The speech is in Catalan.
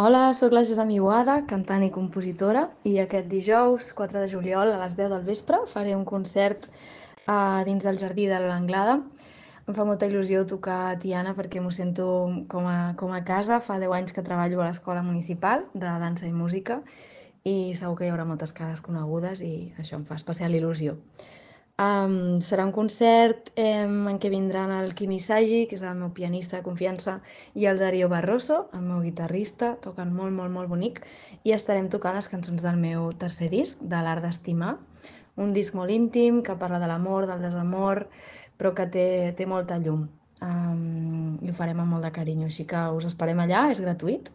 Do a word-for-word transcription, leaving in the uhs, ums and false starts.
Hola, sóc la Gesami Boada, cantant i compositora, i aquest dijous, quatre de juliol, a les deu del vespre, faré un concert a dins del Jardí de l'Anglada. Em fa molta il·lusió tocar a Tiana perquè m'ho sento com a, com a casa. Fa deu anys que treballo a l'Escola Municipal de Dansa i Música i segur que hi haurà moltes cares conegudes i això em fa especial il·lusió. Um, serà un concert em, en què vindran el Quimi Sagi, que és el meu pianista de confiança, i el Darío Barroso, el meu guitarrista, toquen molt, molt, molt bonic, i estarem tocant les cançons del meu tercer disc, de l'Art d'Estimar, un disc molt íntim que parla de l'amor, del desamor, però que té, té molta llum. Um, I ho farem amb molt de carinyo, així que us esperem allà, és gratuït,